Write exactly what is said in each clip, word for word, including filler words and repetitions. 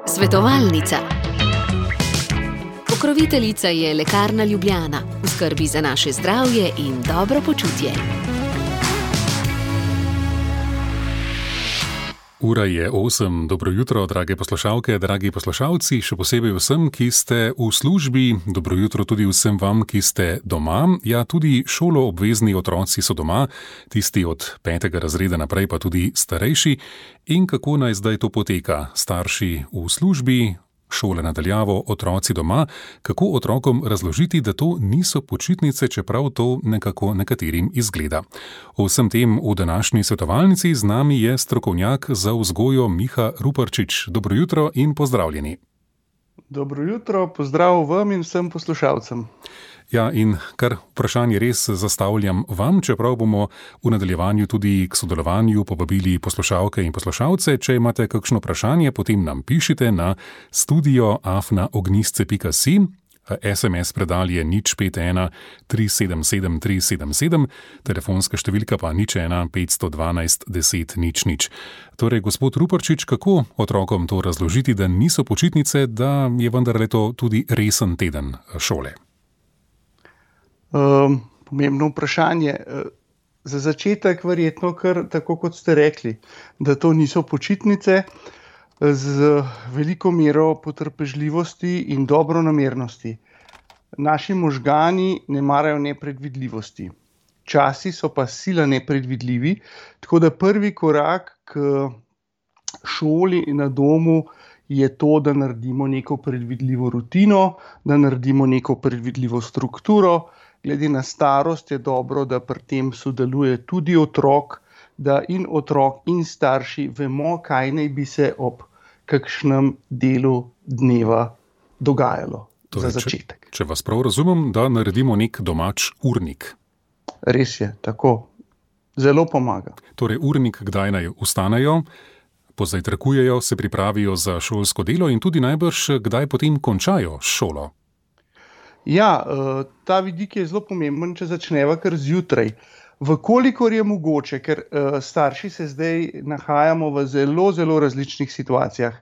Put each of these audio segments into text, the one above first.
Svetovalnica. Pokroviteljica je Lekarna Ljubljana, v skrbi za naše zdravje in dobro počutje. Ura je osem. Dobro jutro, drage poslušalke, dragi poslušalci, še posebej vsem, ki ste v službi. Dobro jutro tudi vsem vam, ki ste doma. Ja, tudi šoloobvezni otroci so doma, tisti od petega razreda naprej, pa tudi starejši. In kako naj zdaj to poteka? Starši v službi, šole nadaljavo, otroci doma. Kako otrokom razložiti, da to niso počitnice, čeprav to nekako nekaterim izgleda? O vsem tem v današnji svetovalnici z nami je strokovnjak za vzgojo Miha Ruparčič. Dobro jutro in pozdravljeni. Dobro jutro, pozdrav vam in vsem poslušalcem. Ja, in kar vprašanje res zastavljam vam, čeprav bomo v nadaljevanju tudi k sodelovanju povabili poslušalke in poslušalce. Če imate kakšno vprašanje, potem nam pišite na studio afna ognjisce pika si. es em es predal je nič pet ena tri sedem sedem tri sedem sedem, telefonska številka pa nič ena petsto dvanajst deset nič nič. Torej, gospod Ruparčič, kako otrokom to razložiti, da niso počitnice, da je vendarle to tudi resen teden šole? Um, pomembno vprašanje. Za začetek verjetno kar tako, kot ste rekli, da to niso počitnice, z veliko mero potrpežljivosti in dobronamernosti. Naši možgani ne marajo nepredvidljivosti. Časi so pa sila nepredvidljivi, tako da prvi korak k šoli na domu je to, da naredimo neko predvidljivo rutino, da naredimo neko predvidljivo strukturo. Glede na starost je dobro, da pri tem sodeluje tudi otrok, da in otrok in starši vemo, kaj naj bi se ob kakšnem delu dneva dogajalo. Torej, za začetek. Če, če vas prav razumem, da naredimo nek domač urnik. Res je, tako. Zelo pomaga. Torej, urnik, kdaj naj vstanejo, pozajtrkujejo, se pripravijo za šolsko delo in tudi najbrž, kdaj potem končajo šolo. Ja, ta vidik je zelo pomemben, če začneva kar zjutraj. Vkolikor je mogoče, ker starši se zdaj nahajamo v zelo, zelo različnih situacijah.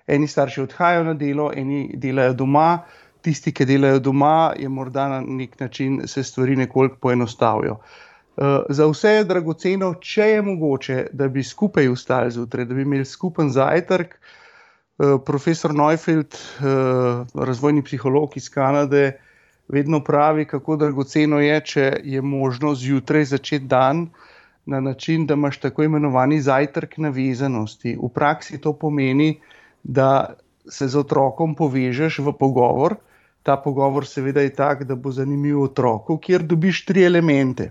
Eni starši odhajajo na delo, eni delajo doma, tisti, ki delajo doma, je morda na nek način se stvari nekoliko poenostavijo. Za vse je dragoceno, če je mogoče, da bi skupaj vstali zjutraj, da bi imeli skupen zajtrk. Profesor Neufeld, razvojni psiholog iz Kanade, vedno pravi, kako dragoceno je, če je možno zjutraj začeti dan na način, da imaš tako imenovani zajtrk navezanosti. V praksi to pomeni, da se z otrokom povežeš v pogovor. Ta pogovor seveda je tak, da bo zanimiv otroku, kjer dobiš tri elemente.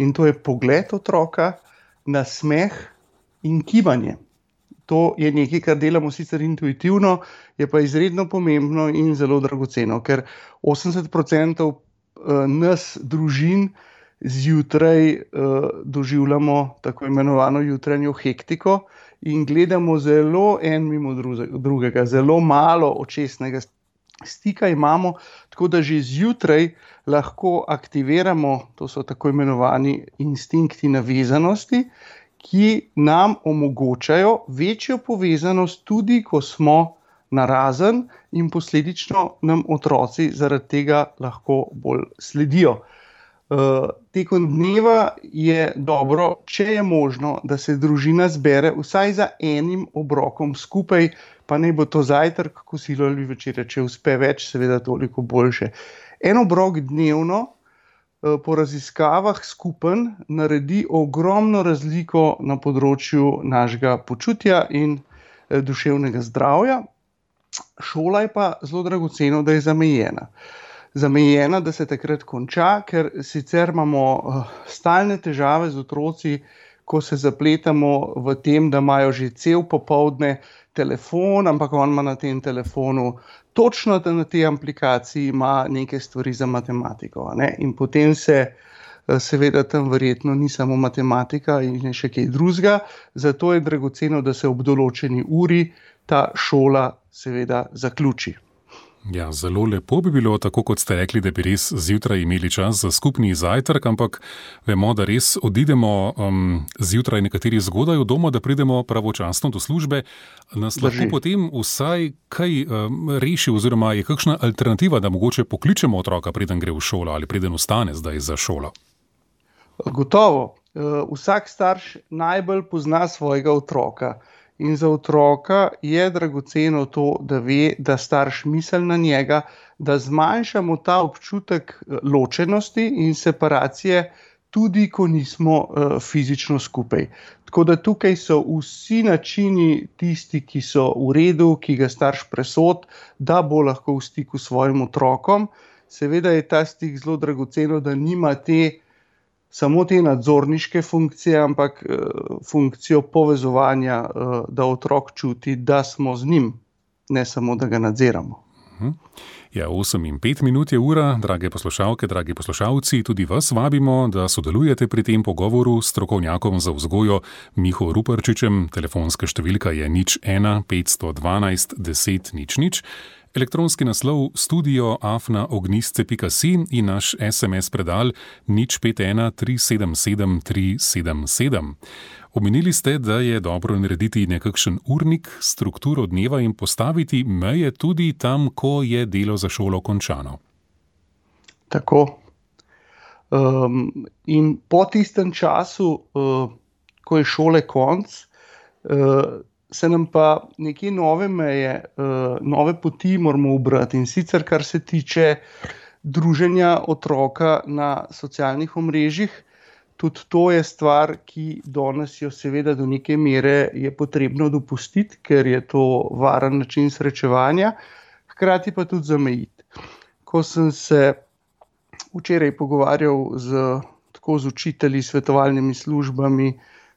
In to je pogled otroka, nasmeh in kibanje. To je nekaj, kar delamo sicer intuitivno, je pa izredno pomembno in zelo dragoceno, ker osemdeset procentov nas družin zjutraj doživljamo tako imenovano jutranjo hektiko in gledamo zelo en mimo drugega, zelo malo očesnega stika imamo, tako da že zjutraj lahko aktiviramo, to so tako imenovani instinkti navezanosti, ki nam omogočajo večjo povezanost tudi, ko smo narazen in posledično nam otroci zaradi tega lahko bolj sledijo. Tekom dneva je dobro, če je možno, da se družina zbere vsaj za enim obrokom skupaj, pa naj bo to zajtrk, kosilo ali večerja, če uspe več, seveda toliko boljše. En obrok dnevno po raziskavah skupen naredi ogromno razliko na področju našega počutja in duševnega zdravja. Šola je pa zelo dragoceno, da je zamejena. Zamejena, da se takrat konča, ker sicer imamo stalne težave z otroci, ko se zapletamo v tem, da imajo že cel popoldne telefon, ampak on ima na tem telefonu točno na tej aplikaciji ima neke stvari za matematiko. Ne? In potem se seveda tam verjetno ni samo matematika in še kaj drugega, zato je dragoceno, da se ob določeni uri ta šola seveda zaključi. Ja, zelo lepo bi bilo, tako kot ste rekli, da bi res zjutraj imeli čas za skupni zajtrk, ampak vemo, da res odidemo um, zjutraj nekateri zgodaj v domu, da pridemo pravočasno do službe. Nas lahko Drži. potem vsaj kaj um, reši oziroma je kakšna alternativa, da mogoče pokličemo otroka, preden gre v šolo ali preden ostane zdaj za šolo? Gotovo. Uh, Vsak starš najbolj pozna svojega otroka. In za otroka je dragoceno to, da ve, da starš misli na njega, da zmanjšamo ta občutek ločenosti in separacije, tudi ko nismo uh, fizično skupaj. Tako da tukaj so vsi načini tisti, ki so v redu, ki ga starš presod, da bo lahko v stiku s svojim otrokom. Seveda je ta stik zelo dragoceno, da nima te samo te nadzorniške funkcije, ampak uh, funkcijo povezovanja, uh, da otrok čuti, da smo z njim, ne samo, da ga nadziramo. Ja, osem in pet minut je ura, drage poslušalke, dragi poslušalci, tudi vas vabimo, da sodelujete pri tem pogovoru s strokovnjakom za vzgojo Miho Ruparčičem. Telefonska številka je nič ena petsto dvanajst deset nič nič. Elektronski naslov studio afna ognistce pika si in naš es em es predal nič pet ena tri sedem sedem tri sedem sedem. Omenili ste, da je dobro narediti nekakšen urnik, strukturo dneva in postaviti meje tudi tam, ko je delo za šolo končano. Tako. Um, in po tistem času, uh, ko je šole konc, uh, se nam pa neke nove meje, uh, nove poti moramo ubrati. In sicer, kar se tiče druženja otroka na socialnih omrežjih, tudi to je stvar, ki danes jo seveda do neke mere je potrebno dopustiti, ker je to varen način srečevanja, hkrati pa tudi zamejiti. Ko sem se včeraj pogovarjal z, tako z učitelji, svetovalnimi službami,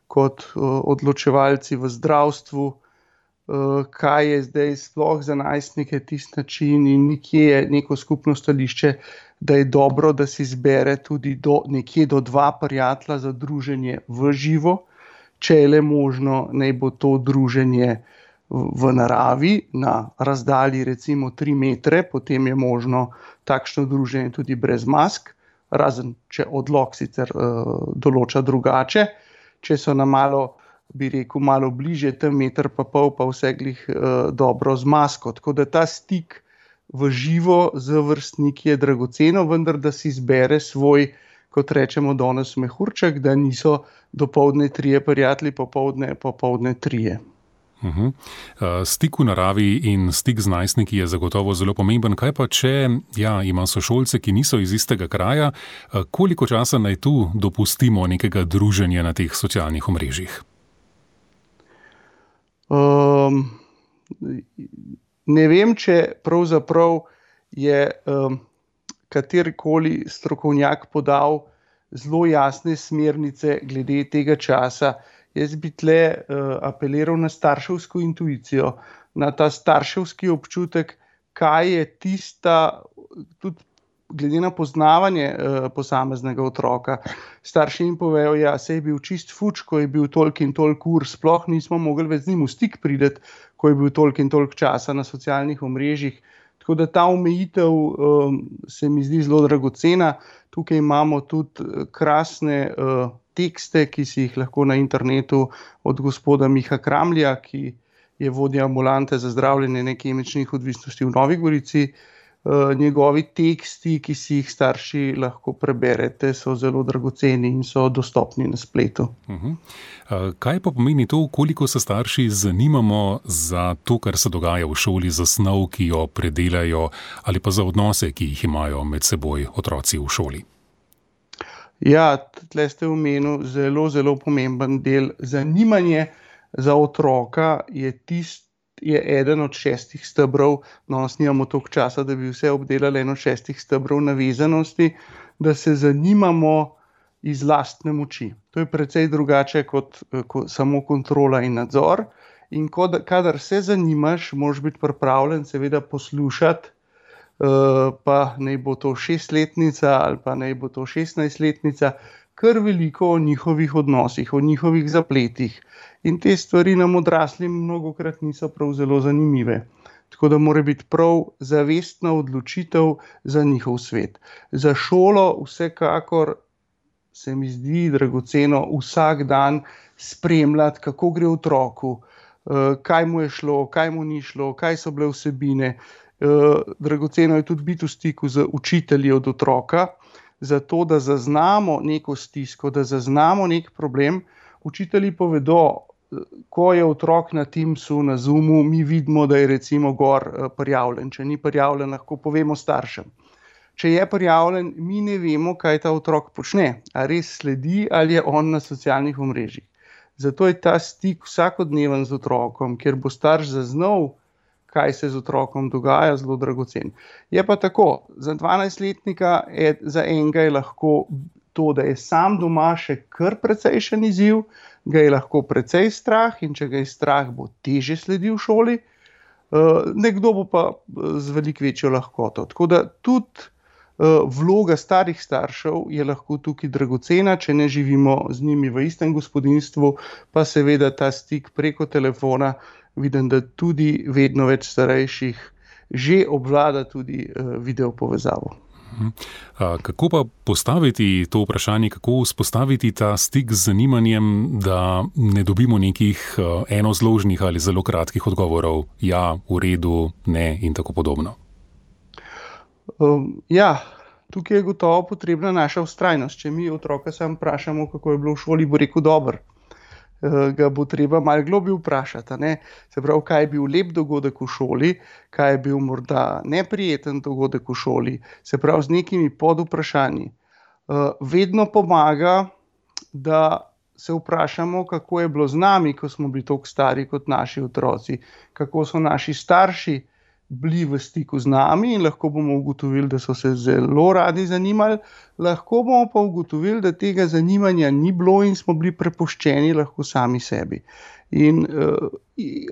kot uh, odločevalci v zdravstvu, uh, kaj je zdaj sploh za najstnike tisti način in nekje je neko skupno stališče, da je dobro, da si izbere tudi do, nekje do dva prijatelja za druženje v živo, če je le možno, naj bo to druženje v, v naravi, na razdalji recimo tri metre, potem je možno takšno druženje tudi brez mask, razen če odlok sicer uh, določa drugače. Če so na malo, bi rekel, malo bliže, tam meter pa pol, pa vse glih uh, dobro z masko. Tako da ta stik v živo z vrstniki je dragoceno, vendar da si izbere svoj, kot rečemo danes, mehurček, da niso dopoldne trije prijatelji, popoldne, popoldne trije. Uhum. Stik v naravi in stik z najstniki je zagotovo zelo pomemben. Kaj pa, če ja, ima sošolce, ki niso iz istega kraja, koliko časa naj tu dopustimo nekega druženja na teh socialnih omrežjih? Um, ne vem, če pravzaprav je um, katerikoli strokovnjak podal zelo jasne smernice glede tega časa. Jaz bi tle uh, apeliral na starševsko intuicijo, na ta starševski občutek, kaj je tista, tudi glede na poznavanje uh, posameznega otroka. Starši jim povejo, ja, se je bil čist fuč, ko je bil toliko in toliko ur, sploh nismo mogli več z njim v stik priti, ko je bil toliko in toliko časa na socialnih omrežjih. Tako da ta omejitev um, se mi zdi zelo dragocena. Tukaj imamo tudi krasne uh, tekste, ki si jih lahko na internetu od gospoda Miha Kramlja, ki je vodja ambulante za zdravljenje nekemičnih odvisnosti v Novi Gorici. Uh, njegovi teksti, ki si jih starši lahko preberete, so zelo dragoceni in so dostopni na spletu. Uh-huh. Uh, kaj pa pomeni to, koliko se starši zanimamo za to, kar se dogaja v šoli, za snov, ki jo predelajo, ali pa za odnose, ki jih imajo med seboj otroci v šoli? Ja, tle ste omenili zelo, zelo pomemben del. Zanimanje za otroka je tisti, je eden od šestih stebrov, no, snimamo toliko časa, da bi vse obdelali, eno od šestih stebrov navezanosti, da se zanimamo iz lastne moči. To je precej drugače kot, kot samo kontrola in nadzor. In kod, kadar se zanimaš, moraš biti pripravljen seveda poslušati, uh, pa naj bo to šestletnica ali pa naj bo to šestnajstletnica, kar veliko o njihovih odnosih, o njihovih zapletih. In te stvari nam odraslim mnogokrat niso prav zelo zanimive. Tako da mora biti prav zavestna odločitev za njihov svet. Za šolo vsekakor se mi zdi dragoceno vsak dan spremljati, kako gre otroku, kaj mu je šlo, kaj mu ni šlo, kaj so bile vsebine. Dragoceno je tudi biti v stiku z učitelji od otroka, zato da zaznamo neko stisko, da zaznamo nek problem. Učitelji povedo, ko je otrok na Teamsu, na Zoomu, mi vidimo, da je recimo gor prijavljen. Če ni prijavljen, lahko povemo staršem. Če je prijavljen, mi ne vemo, kaj ta otrok počne. A res sledi ali je on na socialnih omrežjih. Zato je ta stik vsakodneven z otrokom, kjer bo starš zaznal, kaj se z otrokom dogaja, zelo dragocen. Je pa tako, za dvanajstletnika je, za enega je lahko to, da je sam doma še kar precejšen izziv, ga je lahko precej strah in če ga je strah, bo teže sledil v šoli, nekdo bo pa z veliko večjo lahkoto. Tako da tudi vloga starih staršev je lahko tukaj dragocena, če ne živimo z njimi v istem gospodinjstvu, pa seveda ta stik preko telefona, vidim, da tudi vedno več starejših že obvlada tudi video povezavo. Kako pa postaviti to vprašanje, kako vzpostaviti ta stik z zanimanjem, da ne dobimo nekih enozložnih ali zelo kratkih odgovorov, ja, v redu, ne in tako podobno? Um, ja, tukaj je gotovo potrebna naša vztrajnost. Če mi otroka sam vprašamo, kako je bilo v šoli, bo rekel dobro. Uh, ga bo treba malo globlje vprašati, ne? Se pravi, kaj je bil lep dogodek v šoli, kaj je bil morda neprijeten dogodek v šoli, se pravi z nekimi podvprašanji. Uh, vedno pomaga, da se vprašamo, kako je bilo z nami, ko smo bili toliko stari kot naši otroci, kako so naši starši bili v stiku z nami in lahko bomo ugotovili, da so se zelo radi zanimali, lahko bomo pa ugotovili, da tega zanimanja ni bilo in smo bili prepuščeni lahko sami sebi. In uh,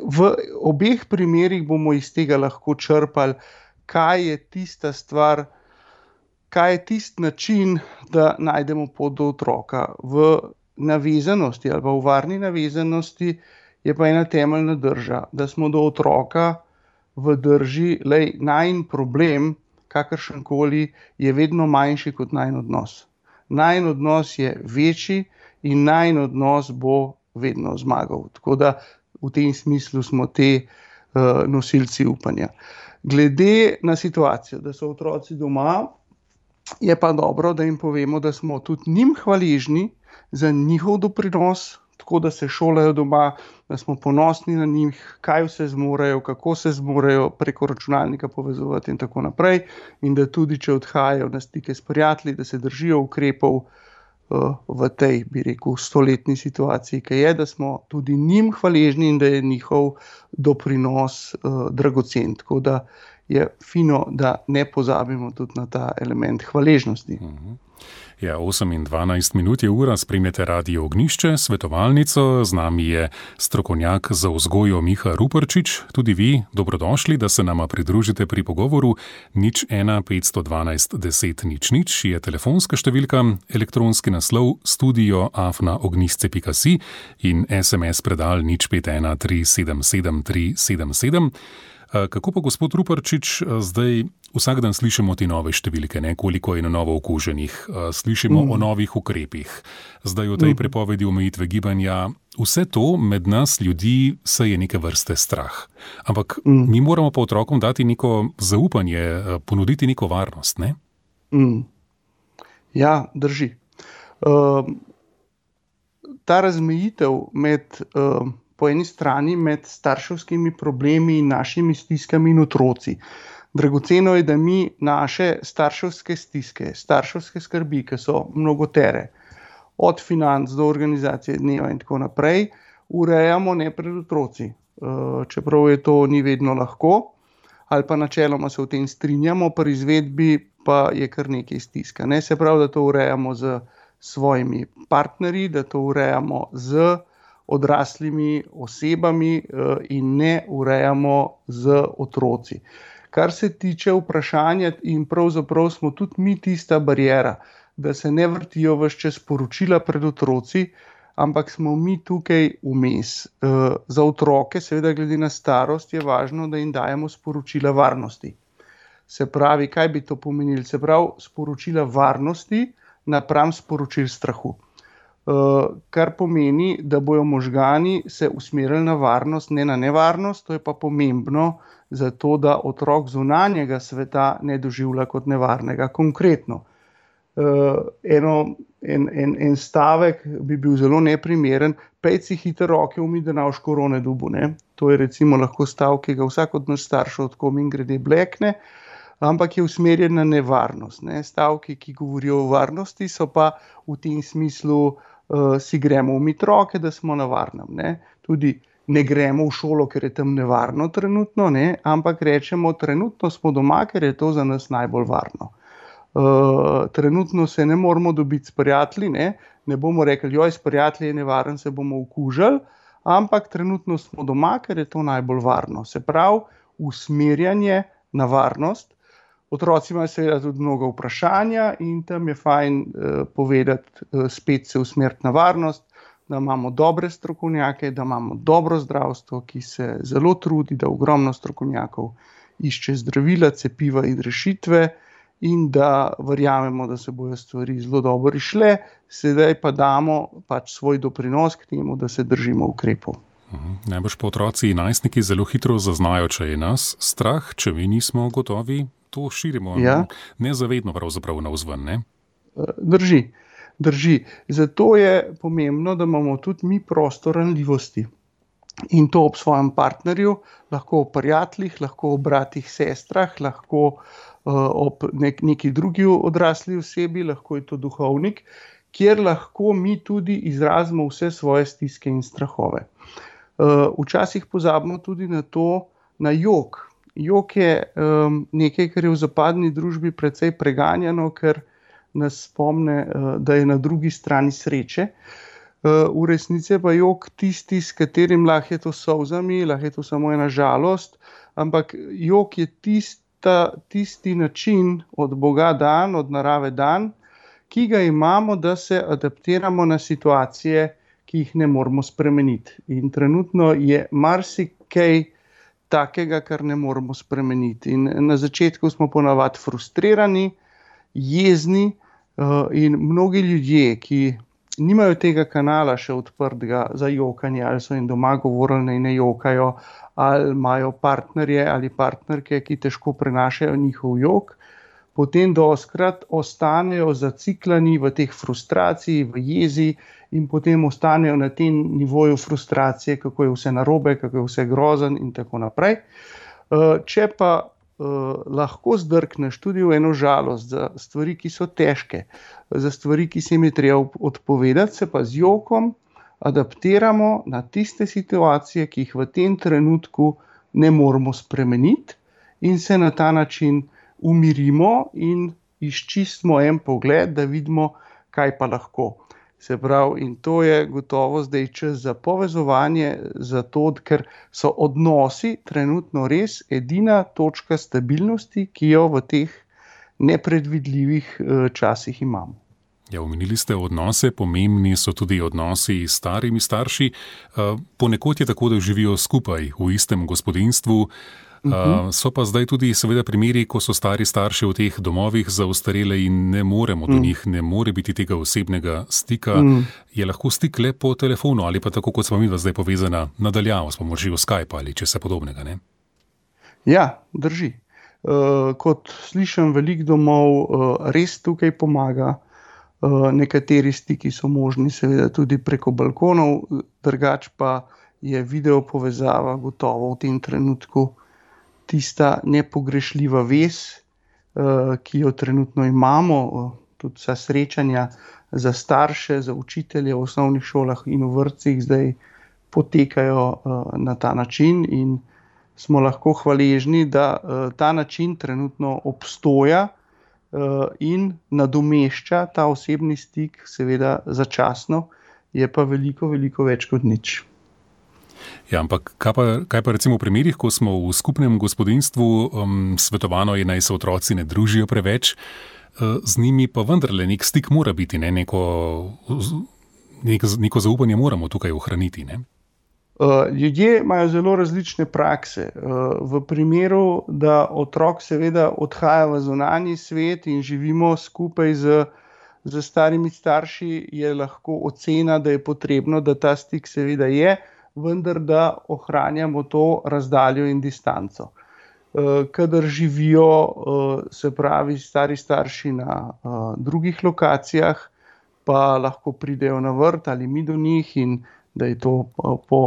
v obeh primerih bomo iz tega lahko črpali, kaj je tista stvar, kaj je tisti način, da najdemo pot do otroka. V navezanosti ali pa v varni navezanosti je pa ena temeljna drža, da smo do otroka v drži, lej, najin problem, kakršenkoli, je vedno manjši kot najin odnos. Najin odnos je večji in najin odnos bo vedno zmagal. Tako da v tem smislu smo te uh, nosilci upanja. Glede na situacijo, da so otroci doma, je pa dobro, da jim povemo, da smo tudi njim hvaležni za njihov doprinos, tako da se šolajo doma, da smo ponosni na njih, kaj vse zmorejo, kako se zmorejo preko računalnika povezovati in tako naprej. In da tudi, če odhajajo na stike s prijatelji, da se držijo ukrepov uh, v tej, bi rekel, stoletni situaciji, ki je, da smo tudi njim hvaležni in da je njihov doprinos uh, dragocen. Tako da je fino, da ne pozabimo tudi na ta element hvaležnosti. Uh-huh. Ja, osem in dvanajst minut je ura, spremljate Radio Ognjišče, svetovalnico, z nami je strokovnjak za vzgojo Miha Ruparčič. Tudi vi, dobrodošli, da se nama pridružite pri pogovoru. Nič ena petsto dvanajst deset nič nič je telefonska številka, elektronski naslov studio afna ognjišče pika si in es em es predal nič pet ena tri sedem sedem tri sedem sedem. Kako pa, gospod Ruparčič, zdaj vsak dan slišimo te nove številke, ne? Koliko je na novo okuženih, slišimo mm. o novih ukrepih, zdaj o tej mm. prepovedi omejitve gibanja. Vse to med nas ljudi se je neke vrste strah. Ampak mm. mi moramo pa otrokom dati neko zaupanje, ponuditi neko varnost, ne? Mm. Ja, drži. Uh, ta razmejitev med... Uh, po eni strani med starševskimi problemi in našimi stiskami in otroci. Dragoceno je, da mi naše starševske stiske, starševske skrbi, ki so mnogotere, od financ do organizacije dneva in tako naprej, urejamo ne pred otroci. Čeprav je to ni vedno lahko, ali pa načeloma se v tem strinjamo, pri izvedbi pa je kar nekaj stiska. Ne? Se pravi, da to urejamo z svojimi partnerji, da to urejamo z odraslimi osebami in ne urejamo z otroci. Kar se tiče vprašanja, in pravzaprav smo tudi mi tista bariera, da se ne vrtijo ves čas sporočila pred otroci, ampak smo mi tukaj vmes. Za otroke, seveda glede na starost, je važno, da jim dajemo sporočila varnosti. Se pravi, kaj bi to pomenilo? Se pravi, sporočila varnosti napram sporočil strahu. Kar pomeni, da bojo možgani se usmerili na varnost, ne na nevarnost. To je pa pomembno zato, da otrok zunanjega sveta ne doživlja kot nevarnega. Konkretno, eno, en, en, en stavek bi bil zelo neprimeren: pejt si hiter roke umij, da ne boš korone dobil, ne. To je recimo lahko stavek, ki ga vsak od nas staršev tako mimogrede blekne, ampak je usmerjen na nevarnost, ne. Stavki, ki govorijo o varnosti, so pa v tem smislu uh, si gremo umit roke, da smo na varnem, ne. Tudi ne gremo v šolo, ker je tam nevarno trenutno, ne, ampak rečemo, trenutno smo doma, ker je to za nas najbolj varno. Uh, trenutno se ne moramo dobiti s prijatelji, ne, ne bomo rekli, joj, s prijatelji je nevaren, se bomo okužili, ampak trenutno smo doma, ker je to najbolj varno. Se pravi, usmerjanje na varnost. Otroci imajo seveda tudi mnogo vprašanja in tam je fajn uh, povedati, uh, spet se usmeriti na varnost, da imamo dobre strokovnjake, da imamo dobro zdravstvo, ki se zelo trudi, da ogromno strokovnjakov išče zdravila, cepiva in rešitve, in da verjamemo, da se bojo stvari zelo dobro išle, sedaj pa damo pač svoj doprinos k temu, da se držimo ukrepov. Mhm. Najbrž pa otroci in najstniki zelo hitro zaznajo, če je nas strah, če mi nismo gotovi, to širimo, ja. Nezavedno pravzaprav navzven, ne? Drži, drži. Zato je pomembno, da imamo tudi mi prostor ranljivosti. In to ob svojem partnerju, lahko o prijateljih, lahko o bratih, sestrah, lahko uh, ob nek, neki drugi odrasli osebi, lahko je to duhovnik, kjer lahko mi tudi izrazimo vse svoje stiske in strahove. Uh, včasih pozabimo tudi na to, na jok. Jok je um, nekaj, kar je v zapadni družbi precej preganjano, ker nas spomne, uh, da je na drugi strani sreče. V resnici pa jok tisti, s katerim lahko je to solzami, lahko je to samo ena žalost, ampak jok je tista, tisti način od Boga dan, od narave dan, ki ga imamo, da se adaptiramo na situacije, ki jih ne moremo spremeniti. In trenutno je marsikaj takega, kar ne moremo spremeniti. In na začetku smo ponavadi frustrirani, jezni in mnogi ljudje, ki nimajo tega kanala še odprtega za jokanje, ali so jim doma govorili, naj ne jokajo, ali imajo partnerje ali partnerke, ki težko prenašajo njihov jok, potem dostikrat ostanejo zaciklani v teh frustraciji, v jezi in potem ostanejo na tem nivoju frustracije, kako je vse narobe, kako je vse grozen in tako naprej. Če pa Uh, lahko zdrkneš tudi v eno žalost za stvari, ki so težke, za stvari, ki se jim je treba odpovedati, se pa z jokom adaptiramo na tiste situacije, ki jih v tem trenutku ne moremo spremeniti, in se na ta način umirimo in izčistimo en pogled, da vidimo, kaj pa lahko. Se pravi, in to je gotovo zdaj čas za povezovanje, zato, ker so odnosi trenutno res edina točka stabilnosti, ki jo v teh nepredvidljivih časih imamo. Ja, omenili ste odnose, pomembni so tudi odnosi s starimi starši. Ponekod je tako, da živijo skupaj v istem gospodinjstvu. Uh, so pa zdaj tudi seveda primeri, ko so stari starši v teh domovih za ostarele in ne moremo do mm. njih, ne more biti tega osebnega stika. Mm. Je lahko stik le po telefonu ali pa tako, kot smo mi zdaj povezana nadaljavo s pomočjo Skype ali česa podobnega, ne? Ja, drži. Uh, kot slišim, veliko domov uh, res tukaj pomaga. Uh, nekateri stiki so možni seveda tudi preko balkonov, drugač pa je video povezava gotovo v tem trenutku tista nepogrešljiva vez, ki jo trenutno imamo, tudi vsa srečanja za starše, za učitelje v osnovnih šolah in v vrtcih zdaj potekajo na ta način in smo lahko hvaležni, da ta način trenutno obstoja in nadomešča ta osebni stik, seveda začasno, je pa veliko, veliko več kot nič. Ja, ampak kaj pa, kaj pa recimo v primerih, ko smo v skupnem gospodinjstvu, um, svetovano je, naj se otroci ne družijo preveč, uh, z njimi pa vendarle nek stik mora biti, ne? Neko neko, neko zaupanje moramo tukaj ohraniti, ne? Ljudje imajo zelo različne prakse. V primeru, da otrok seveda odhaja v zunanji svet in živimo skupaj z, z starimi starši, je lahko ocena, da je potrebno, da ta stik seveda je, vendar da ohranjamo to razdaljo in distanco. Kadar živijo, se pravi, stari starši na drugih lokacijah, pa lahko pridejo na vrt ali mi do njih in da je to po,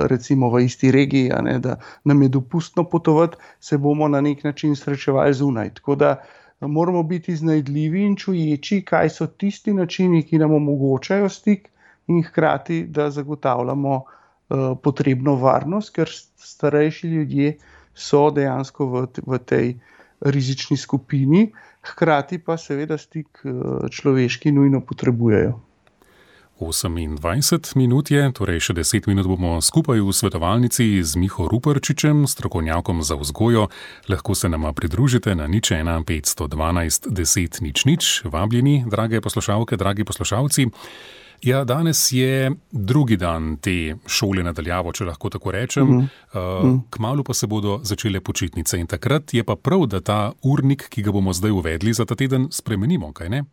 recimo v isti regiji, a ne, da nam je dopustno potovati, se bomo na nek način srečevali zunaj. Tako da moramo biti iznajdljivi in čuječi, kaj so tisti načini, ki nam omogočajo stik in hkrati, da zagotavljamo uh, potrebno varnost, ker starejši ljudje so dejansko v, v tej rizični skupini, hkrati pa seveda stik uh, človeški nujno potrebujejo. osemindvajset minut je, torej še deset minut bomo skupaj v svetovalnici z Miho Ruparčičem, strokovnjakom za vzgojo. Lahko se nama pridružite na nič ena petsto dvanajst deset nič nič. Vabljeni, drage poslušalke, dragi poslušalci. Ja, danes je drugi dan te šole nadaljavo, če lahko tako rečem. Mm-hmm. Kmalu pa se bodo začele počitnice in takrat je pa prav, da ta urnik, ki ga bomo zdaj uvedli za ta teden, spremenimo, kaj ne?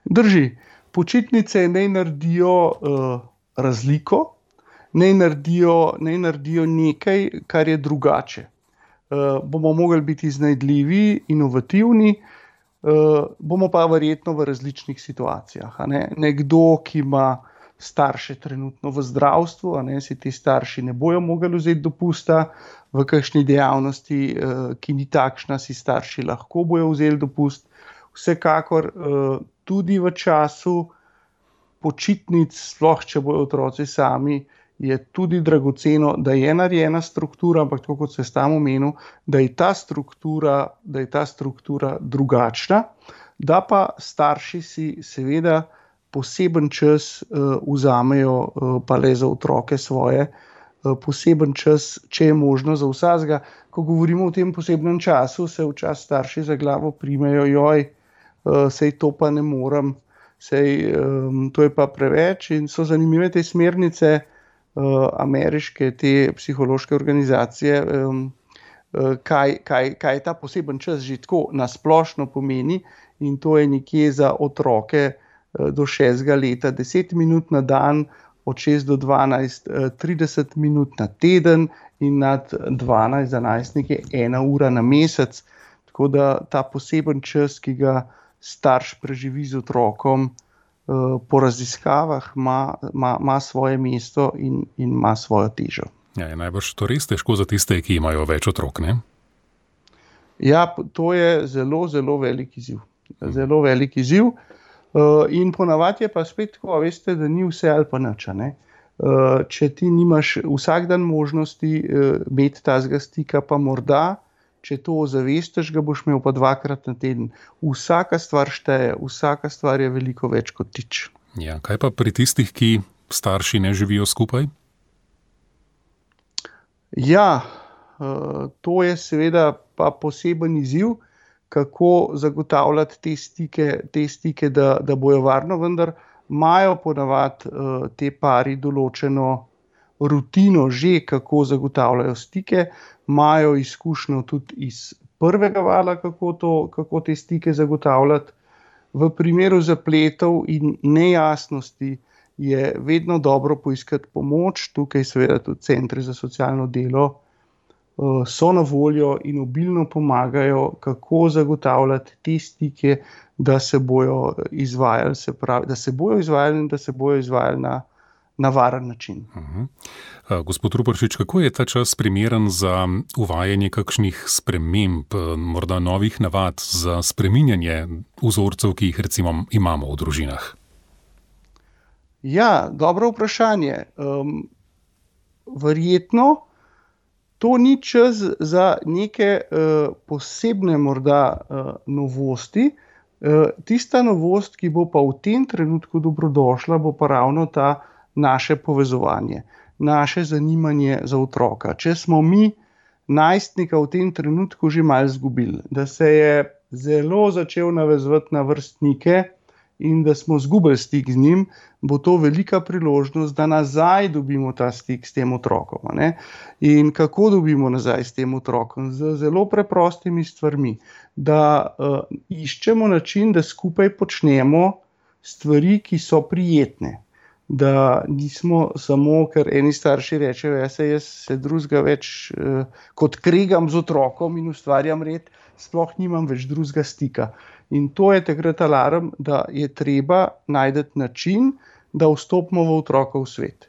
Drži. Počitnice naj naredijo uh, razliko, naj naredijo, naj naredijo nekaj, kar je drugače. Uh, bomo mogli biti iznajdljivi, inovativni, uh, bomo pa verjetno v različnih situacijah. A ne? Nekdo, ki ima starše trenutno v zdravstvu, a ne, si ti starši ne bojo mogli vzeti dopusta, v kakšni dejavnosti, uh, ki ni takšna, si starši lahko bojo vzeli dopust. Vsekakor uh, tudi v času počitnic, sploh če bojo otroci sami, je tudi dragoceno, da je narejena struktura, ampak tako kot se sam omenil, da je ta struktura, da je ta struktura drugačna, da pa starši si seveda poseben čas uh, vzamejo uh, pa le za otroke svoje, uh, poseben čas, če je možno za vsakega. Ko govorimo o tem posebnem času, se včasih starši za glavo primejo, joj, Uh, sej to pa ne morem, sej um, to je pa preveč in so zanimive te smernice uh, ameriške, te psihološke organizacije, um, uh, kaj, kaj, kaj ta poseben čas že tako nasplošno pomeni in to je nekje za otroke uh, do šestega leta deset minut na dan, od šest do dvanajst uh, trideset minut na teden in nad dvanajst za najstnike ena ura na mesec, tako da ta poseben čas, ki ga starš preživi z otrokom, po raziskavah ima, ima, ima svoje mesto in, in ima svojo težo. Ja, je najbrž to res težko za tiste, ki imajo več otrok, ne? Ja, to je zelo, zelo velik izziv. Zelo velik izziv. In ponavadi je pa spet tako, veste, da ni vse ali pa nič, ne? Če ti nimaš vsak dan možnosti imeti tazga stika, pa morda, če to ozavestiš, ga boš imel pa dvakrat na teden. Vsaka stvar šteje, vsaka stvar je veliko več kot tič. Ja, kaj pa pri tistih, ki starši ne živijo skupaj? Ja, to je seveda pa poseben izziv, kako zagotavljati te stike, te stike da, da bojo varno, vendar imajo ponavadi te pari določeno rutino že, kako zagotavljajo stike, imajo izkušnjo tudi iz prvega vala, kako, to, kako te stike zagotavljati. V primeru zapletov in nejasnosti je vedno dobro poiskati pomoč, tukaj seveda tudi centri za socialno delo so na voljo in obilno pomagajo, kako zagotavljati te stike, da se bojo izvajali, se pravi, da se bojo izvajali in da se bojo izvajali na na varen način. Uh-huh. Uh, gospod Ruparčič, kako je ta čas primeren za uvajanje kakšnih sprememb, morda novih navad, za spreminjanje vzorcev, ki jih recimo imamo v družinah? Ja, dobro vprašanje. Um, verjetno to ni čas za neke uh, posebne morda uh, novosti. Uh, tista novost, ki bo pa v tem trenutku dobrodošla, bo pa ravno ta naše povezovanje, naše zanimanje za otroka. Če smo mi najstnika v tem trenutku že malo izgubili, da se je zelo začel navezovati na vrstnike in da smo izgubili stik z njim, bo to velika priložnost, da nazaj dobimo ta stik s tem otrokom. Ne? In kako dobimo nazaj s tem otrokom? Z zelo preprostimi stvarmi, da uh, iščemo način, da skupaj počnemo stvari, ki so prijetne. Da nismo samo, ker eni starši rečejo, jaz se, jaz se drugega več uh, kot kregam z otrokom in ustvarjam red, sploh nimam več drugega stika. In to je takrat alarm, da je treba najti način, da vstopimo v otrokov svet.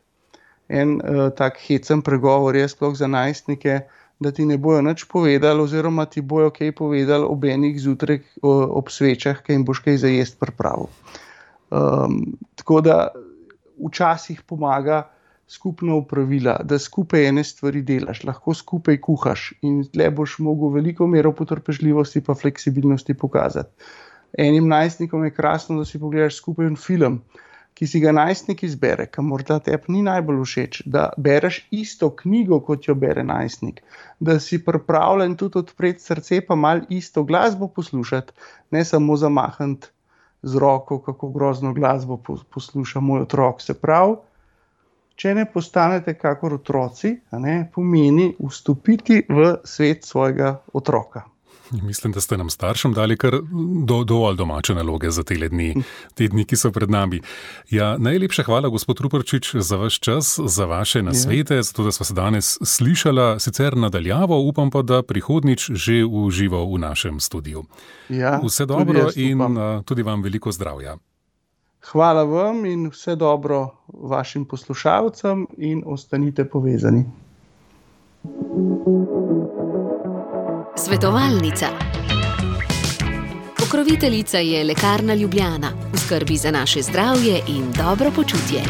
En uh, tak hecen pregovor je sploh za najstnike, da ti ne bojo nič povedali oziroma ti bojo kaj povedali ob enih zjutraj ob svečah, kaj jim boš kaj za jest pripravil. Um, tako da včasih pomaga skupna opravila, da skupaj ene stvari delaš, lahko skupaj kuhaš in tle boš mogel veliko mero potrpežljivosti pa fleksibilnosti pokazati. Enim najstnikom je krasno, da si pogledaš skupaj en film, ki si ga najstnik izbere, ki morda tebi ni najbolj všeč, da bereš isto knjigo, kot jo bere najstnik, da si pripravljen tudi odpreti srce pa malo isto glasbo poslušati, ne samo zamahniti z roko, kako grozno glasbo posluša moj otrok. Se pravi, če ne postanete kakor otroci, a ne, pomeni vstopiti v svet svojega otroka. Mislim, da ste nam staršem dali kar do, dovolj domače naloge za tele dni, te dni, ki so pred nami. Ja, najlepša hvala, gospod Ruparčič, za vaš čas, za vaše nasvete, za to, da sva se danes slišala, sicer nadaljavo, upam pa, da prihodnič že v živo v našem studiu. Ja, vse dobro in tudi vam veliko zdravja. Hvala vam in vse dobro vašim poslušalcem in ostanite povezani. Svetovalnica. Pokroviteljica je Lekarna Ljubljana, v skrbi za naše zdravje in dobro počutje.